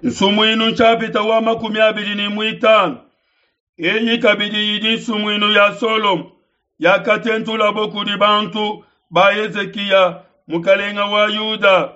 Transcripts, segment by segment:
Nsumuinu nshapita wa 25. Eyi kabidi idi nsumuinu ya Solomo yakatentulabo kudi bantu ba Hezikiya mukalenga wa Yuda.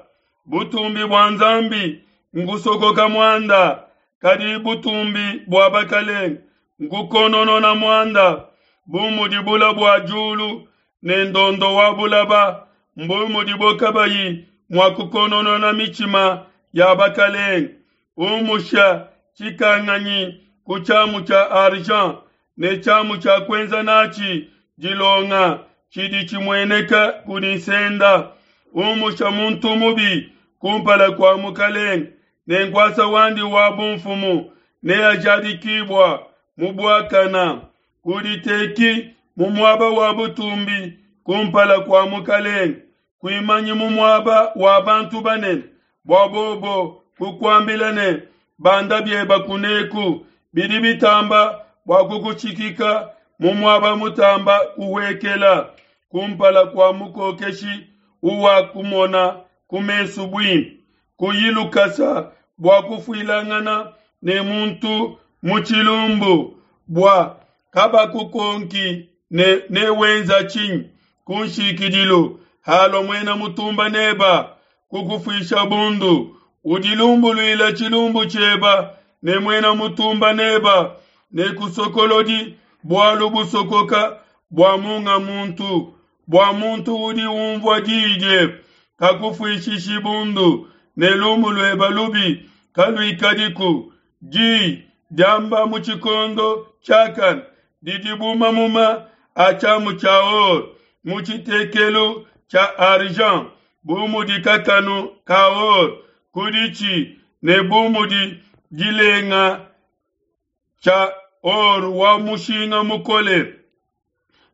Butumbi bua Nzambi nkusokoka muanda, kadi butumbi bua bakalenge nkukononona muanda. Bu mudi bula bua diulu ne ndondo wa bulaba, mbu mudibo kabayi mua kukononona mitshima ya bakalenge. Umusha tshikanganyi ku tshiamu tshia argent ne tshiamu tshia kuenza natshi dilonga tshidi tshimueneka kudi nsenda. Umusha muntu mubi kumpala kua mukalenge, ne nkuasa wandi wa bumfumu neajadikibua mu buakana. Kuditeki mu muaba wa butumbi kumpala kua mukalenge, kuimanyi mu muaba wa bantu banene, bua bobo kukuambila ne, banda bieba kuneku. Bidi bitamba bua kukutshikika mu muaba mutamba kuhuekela kumpala kua mukokeshi uwakumona ku mesu buimpe. Kuyi lukasa bua kufuilangana ne muntu mu tshilumbu, bua kabakukonki ne newenza tshinyi ku nshikidilu halua muena mutumba neba kukufuisha bundu. Udilumbuluila tshilumbu tshieba ne muena mutumba neba, ne kusokolodi bualu busokoka bua munga muntu, bua muntu udi umvua diyi diebe kakufuishishi bundu, ne lumu lueba lubi kaluikadiku. Diyi diamba mu tshikondo tshiakane didi bu mamuma a tshiamu tshia or mu tshitekelu tshia argent, bu mudi kakanu ka or ku ditshi ne bu mudi dilenga tshia or wa mushinga mukole.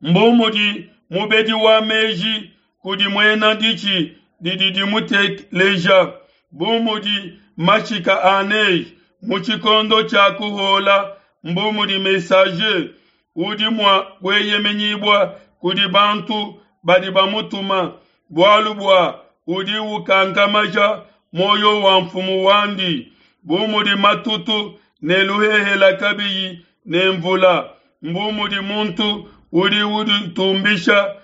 Mbu mudi mubedi wa meji kudi muena ditshi didi dimuteleja, bu mudi mashika a neige mu tshikondo tshia kuhola, mbu mudi messager udi mua kueyemenyibua kudi bantu badi bamutuma, bualu bua udi ukankamaja muoyo wa mfumu wandi. Bu mudi matutu ne luhehela kabiyi ne mvula, mbu mudi muntu udi uditumbisha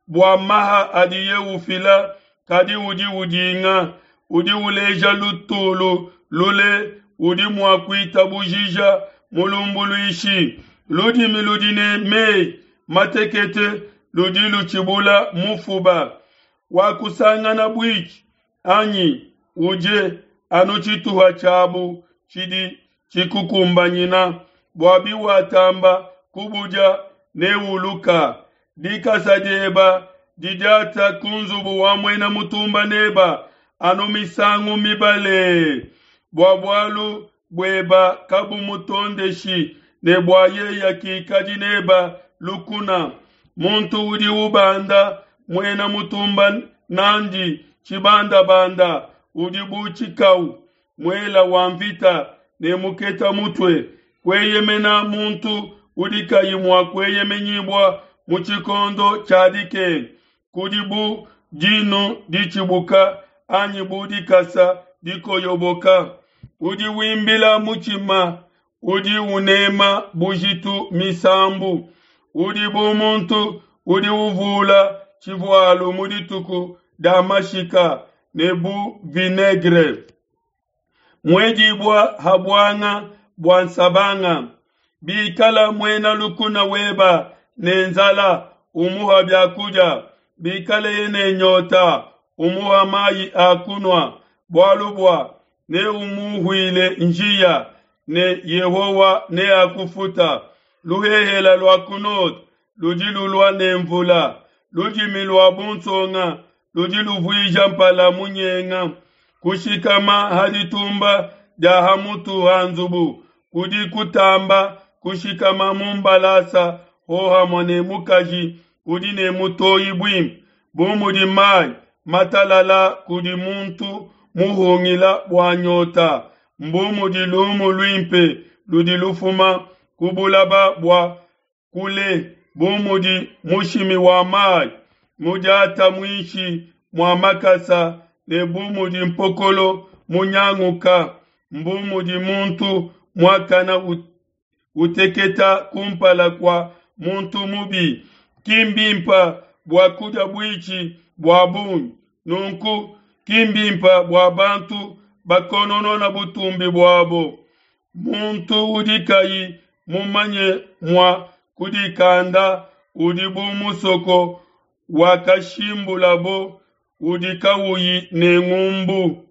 bua maha adiye ufila, kadi udi udinga. Udi uleja lutulu lule udi mua kuitabujija mulumbuluishi. Ludimi ludi ne meyi matekete ludi lutshibula mufuba. Wakusangana buitshi anyi udie anu tshituha tshiabu tshidi tshikukumbanyina, bua biwatamba kubudia neuluka. Dikasa dieba didiata ku nzubu wa muena mutumba neba anu misangu mibale, bua bualu bueba kabumutondeshi ne bua yeya kikadi neba lukuna. Muntu udi ubanda muena mutumba nandi tshibandabanda udi bu tshikau muela wa mvita ne muketa mutue. Kueyemena muntu udi kayi mua kueyemenyibua mu tshikondo tshia dikenga kudi bu dinu ditshibuka anyi bu dikasa dikoyoboka. Udi wimbila mutshima udi unema bujitu misambu, udi bu muntu udi uvula tshivualu mu dituku dia mashika ne bu vinaigre muedibua ha buanga bua nsabanga. Bikala muena lukuna weba ne nzala, umuha biakudia; bikaleye ne nyota, umuha mayi a kunua, bualu bua neumuhuile njiya, ne Yehowa neakufuta. Luhehela lua ku node ludi lulua ne mvula, ludimi lua bunsonga ludi luvuija mpala munyenga. Kushikama ha ditumba dia ha mutu ha nzubu kudi kutamba kushikama mu mbalasa hohamue ne mukaji udi ne mutoyi buimpe, bu mudi mayi matalala kudi muntu muhungila bua nyota, mbu mudi lumu luimpe ludi lufuma ku bulaba bua kule, bu mudi mushimi wa mayi mudiata muinshi mua makasa ne bu mudi mpokolo munyanguka. Mbu mudi muntu muakana uteketa kumpala kua muntu mubi. Ki mbimpe bua kudia buitshi bua bungi, nunku ki mbimpe bua bantu bakononona butumbi buabo. Muntu udi kayi mumanye mua kudikanda udi bu musoko wakashimbulabo udi kauyi ne ngumbu.